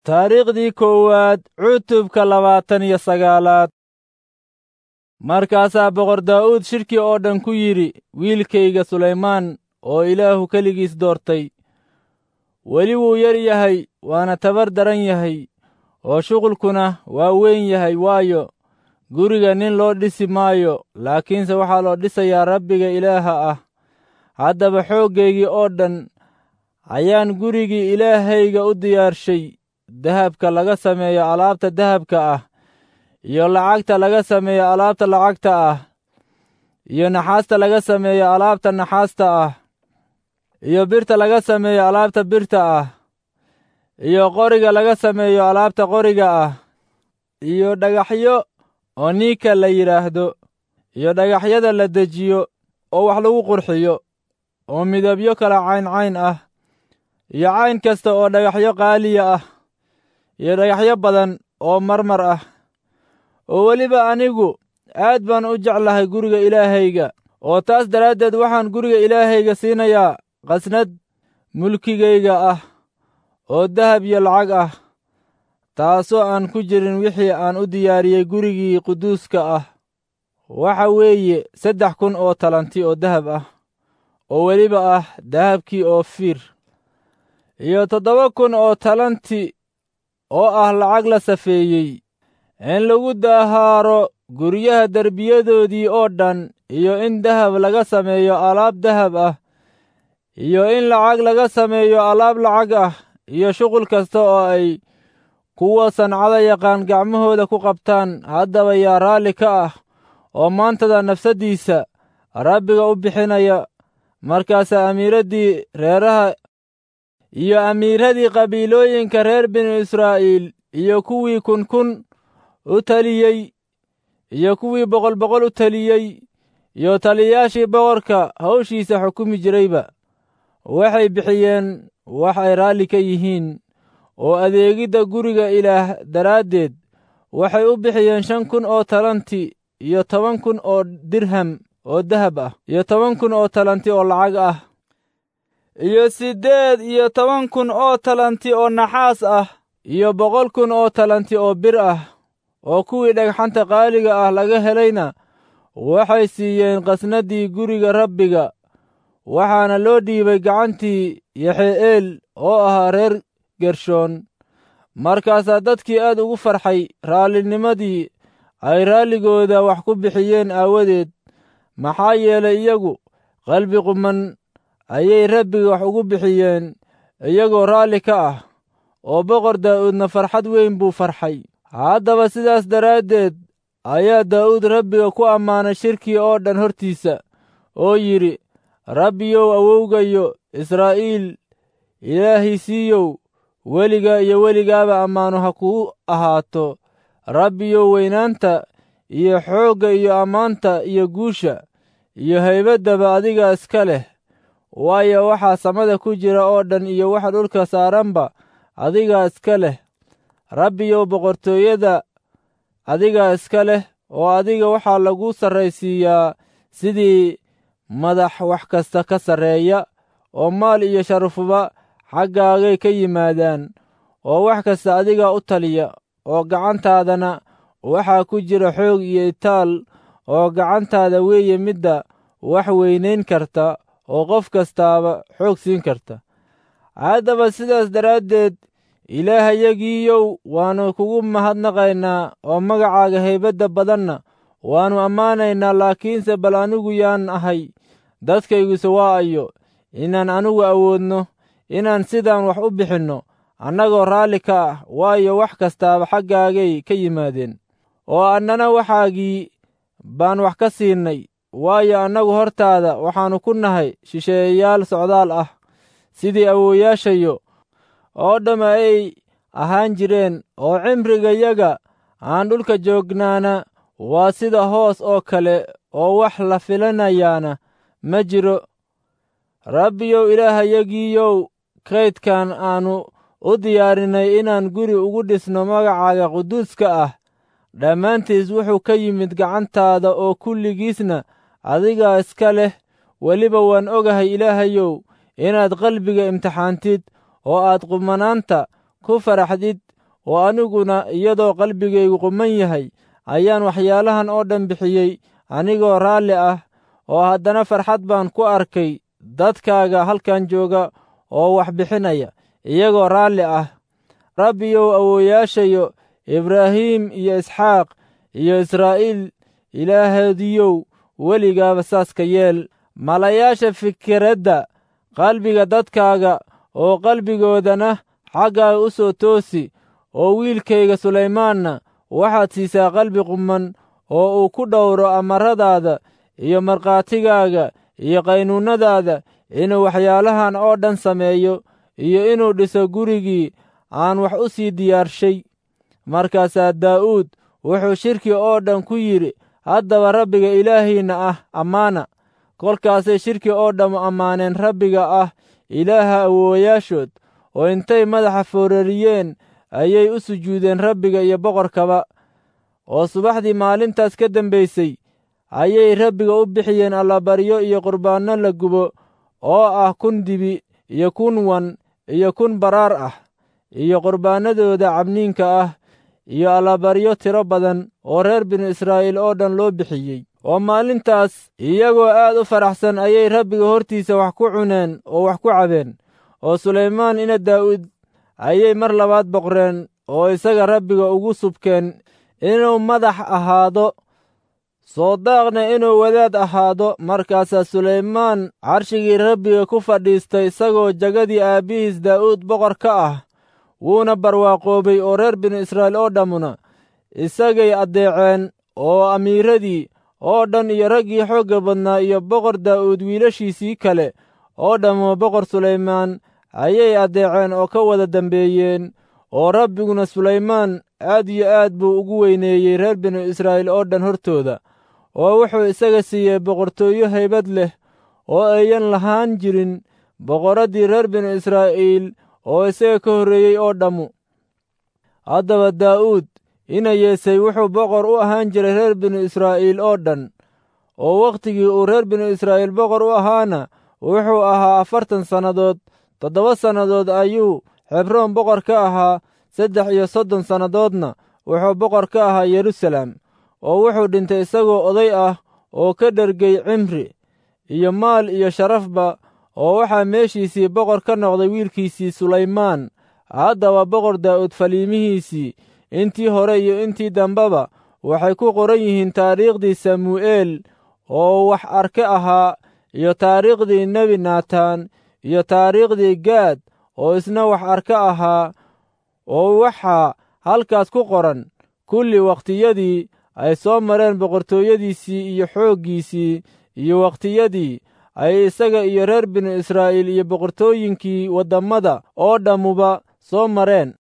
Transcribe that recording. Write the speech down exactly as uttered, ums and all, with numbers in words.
Taariikhdii koowaad cutubka labaatan iyo sagaalaad. Markaasaa boqor Daa'uud shirkii oo dhan ku yidhi, wiilkayga Sulaymaan oo Ilaahu keligiis doortay, weli wuu yar yahay, waana tabar daran yahay, oo shuqulkuna waa weyn yahay, waayo, guriga nin loo dhisi maayo, laakiinse waxaa loo dhisayaa Rabbiga Ilaaha ah. Haddaba xooggaygii oo dhan ayaan gurigii Ilaahayga u diyaarshay, dahabka laga sameeyo alaabta dahabka ah, iyo lacagta laga sameeyo alaabta lacagta ah, iyo naxaasta laga sameeyo alaabta naxaasta ah, iyo birta laga sameeyo alaabta birta ah, iyo qoriga laga sameeyo alaabta qoriga ah, iyo dhagaxyo onika la yidhaahdo, iyo dhagaxyada la dejiyo oo wax lagu qurxiyo, oo midabyo kala cayn cayn ah, iyo cayn kasta oo dhagaxyo qaaliya ah, iyo dhagaxyo badan oo marmar ah. Oo weliba anigu aad baan u jeclahay guriga Ilaahayga, oo taas daraaddeed waxaan guriga Ilaahayga siinayaa qasnad mulkigayga ah oo dahab iyo lacag ah, taasoo aan ku jirin wixii aan u diyaariyey gurigii quduuska ah. Waxa weeye saddex kun oo talanti oo dahab ah, oo weliba ah dahabkii Oofiir, iyo toddoba kun oo talanti oo ah lacag la safeeyey, in lagu dahaaro guryaha derbiyadoodii oo dhan, iyo in dahab laga sameeyo alaab dahab ah, iyo in lacag laga sameeyo alaab lacag ah, iyo shuqul kasta oo ay kuwa sancada yaqaan gacmahooda ku qabtaan. Haddaba yaa raalli ka ah oo maantada nafsaddiisa Rabbiga u bixinaya? Markaasaa amiiraddii reeraha iyo amiiradii qabiilooyinka reer binu Israa'iil iyo kuwii kun kun u taliyey iyo kuwii boqol boqol u taliyey iyo taliyayaashii boqorka hawshiisa xukumi jirayba waxay bixiyeen wax ay raalli ka yihiin, oo adeegidda guriga Ilaah daraaddeed waxay u bixiyeen shan kun oo talanti iyo toban kun oo dirham oo dahab ah, iyo toban kun oo talanti oo lacag ah, iyo siddeed iyo toban kun oo talanti oo naxaas ah, iyo boqol kun oo talanti oo bir ah. Oo kuwii dhagxanta qaaliga ah laga helayna waxay siiyeen qasnaddii guriga Rabbiga, waxaana loo dhiibay gacantii Yaxe'eel oo ahaa reer Gershoon. Markaasaa dadkii aad ugu farxay raalinimadii ay raalligooda wax ku bixiyeen aawadeed, maxaa yeelay, iyagu qalbi quman ayay Rabbiga wax ugu bixiyeen iyagoo raalli ka ah, oo boqor Daa'uudna farxad weyn buu farxay. Haddaba sidaas daraaddeed ayaa Daa'uud Rabbiga ku ammaanay shirkii oo dhan hortiisa, oo yidhi, Rabbiyow, awowgayo Israa'iil Ilaahiisiiyow, weligaa iyo weligaaba ammaanu ha kuu ahaato. Rabbiyow, weynaanta iyo xoogga iyo ammaanta iyo guusha iyo haybaddaba adiga iska leh, waayo, waxaa samada ku jira oo dhan iyo waxa dhulka saaranba adigaa iska leh. Rabbiyow, boqortooyada adigaa iska leh, oo adiga waxaa lagu sarraysiiyaa sidii madax wax kasta ka sarreeya, oo maal iyo sharafuba xaggaagay ka yimaadaan, oo wax kasta adigaa u taliya, oo gacantaadana waxaa ku jira xoog iyo itaal, oo gacantaada weeye midda wax weynayn karta oo qof kastaaba xoog siin karta. Haddaba sidaas daraaddeed, Ilaahayagiiyow, waannu kugu mahadnaqaynaa, oo magacaaga haybadda badanna waannu ammaanaynaa. Laakiinse bal anigu yaan ahay, dadkayguse waa ayo, inaan anigu awoodno inaan sidaan wax u bixinno annagoo raalli ka ah? Waayo, wax kastaaba xaggaagay ka yimaadeen, oo annana waxaagii baan wax ka siinay. Waayo, annagu hortaada waxaannu ku nahay shisheeyayaal socdaal ah, sidii awoowayaashayo oo dhamma ay ahaan jireen, oo cimrigayaga aan dhulka joognaana waa sida hoos oo kale, oo wax la filanayaana ma jiro. Rabbiyow, Ilaahayagiiyow, kaydkan aannu u diyaarinay inaan guri ugu dhisno magacaaga quduuska ah dhammaantiis wuxuu ka yimid gacantaada, oo kulligiisna adigaa iska leh. Weliba waan ogahay, Ilaahayow, inaad qalbiga imtixaantid oo aad qumanaanta ku faraxdid. Oo aniguna iyadoo qalbigaygu quman yahay ayaan waxyaalahan oo dhan bixiyey anigoo raalli ah, oo haddana farxad baan ku arkay dadkaaga halkan jooga oo wax bixinaya iyagoo raalli ah. Rabbiyow, awoowayaashayo Ibraahim iyo Isxaaq iyo Israa'iil Ilaahoodiyow, weligaaba saas ka yeel. Malayaasha fikiradda qalbiga dadkaaga oo qalbigoodana xaggaaga u soo toosi, oo wiilkayga Sulaymaanna waxaad siisaa qalbi qumman oo uu ku dhowro amaradaada iyo markhaatigaaga iyo qaynuunnadaada, inuu waxyaalahan oo dhan sameeyo iyo inuu dhiso gurigii aan wax u sii diyaarshay. Markaasaa Daa'uud wuxuu shirkii oo dhan ku yidhi, haddaba Rabbiga Ilaahiinna ah ammaana. Kolkaasay shirkii oo dhammu ammaaneen Rabbiga ah Ilaaha awoowayaashood, oo intay madaxa foorariyeen ayay u sujuudeen Rabbiga iyo boqorkaba. Oo subaxdii maalintaas ka dambaysay ayay Rabbiga u bixiyeen allabaryo iyo qurbaanno la gubo oo ah kun dibi iyo kun wan iyo kun baraar ah, iyo qurbaannadooda cabniinka ah, iyo allabaryo tiro badan oo reer binu Israa'iil oo dhan loo bixiyey. Oo maalintaas iyagoo aad u faraxsan ayay Rabbiga hortiisa wax ku cuneen oo wax ku cabeen. Oo Sulaymaan ina Daa'uud ayay mar labaad boqreen oo isaga Rabbiga ugu subkeen inuu madax ahaado, soodaaqna inuu wadaad ahaado. Markaasaa Sulaymaan carshigii Rabbiga ku fadhiistay isagoo jagadii aabbihiis Daa'uud boqor ka ah, wuuna barwaaqoobay, oo reer binu Israa'iil oo dhammuna isagay addeeceen, oo amiiradii oo dhan iyo raggii xoogga badnaa iyo boqor Daa'uud wiilashiisii kale oo dhammu boqor Sulaymaan ayay addeeceen oo ka wada dambeeyeen. Oo Rabbiguna Sulaymaan aad iyo aad buu ugu weyneeyey reer binu Israa'iil oo dhan hortooda, oo wuxuu isaga siiyey boqortooyo haybad leh oo ayan lahaan jirin boqorraddii reer binu Israa'iil oo isaga ka horreeyey oo dhammu. Haddaba Daa'uud ina Yeesay wuxuu boqor u ahaan jiray reer binu Israa'iil oo dhan, oo wakhtigii uu reer binu Israa'iil boqor u ahaana wuxuu ahaa afartan sannadood. Toddoba sannadood ayuu Xebroon boqor ka ahaa, saddex iyo soddon sannadoodna wuxuu boqor ka ahaa Yeruusaalem. Oo wuxuu dhintay isagoo oday ah oo ka dhergay cimri iyo maal iyo sharafba, oo waxaa meeshiisii boqor ka noqday wiilkiisii Sulaymaan. Haddaba boqor Daa'uud faliimihiisii intii hore iyo intii dambeba waxay ku qoran yihiin taariikhdii Samu'eel oo wax arke ahaa, iyo taariikhdii nebi Naataan, iyo taariikhdii Gaad oo isna wax arke ahaa. Oo waxaa halkaas ku qoran kulli wakhtiyadii ay soo mareen boqortooyadiisii iyo xooggiisii, iyo wakhtiyadii ay isaga iyo reer binu Israa'iil iyo boqortooyinkii waddammada oo dhammuba soo mareen.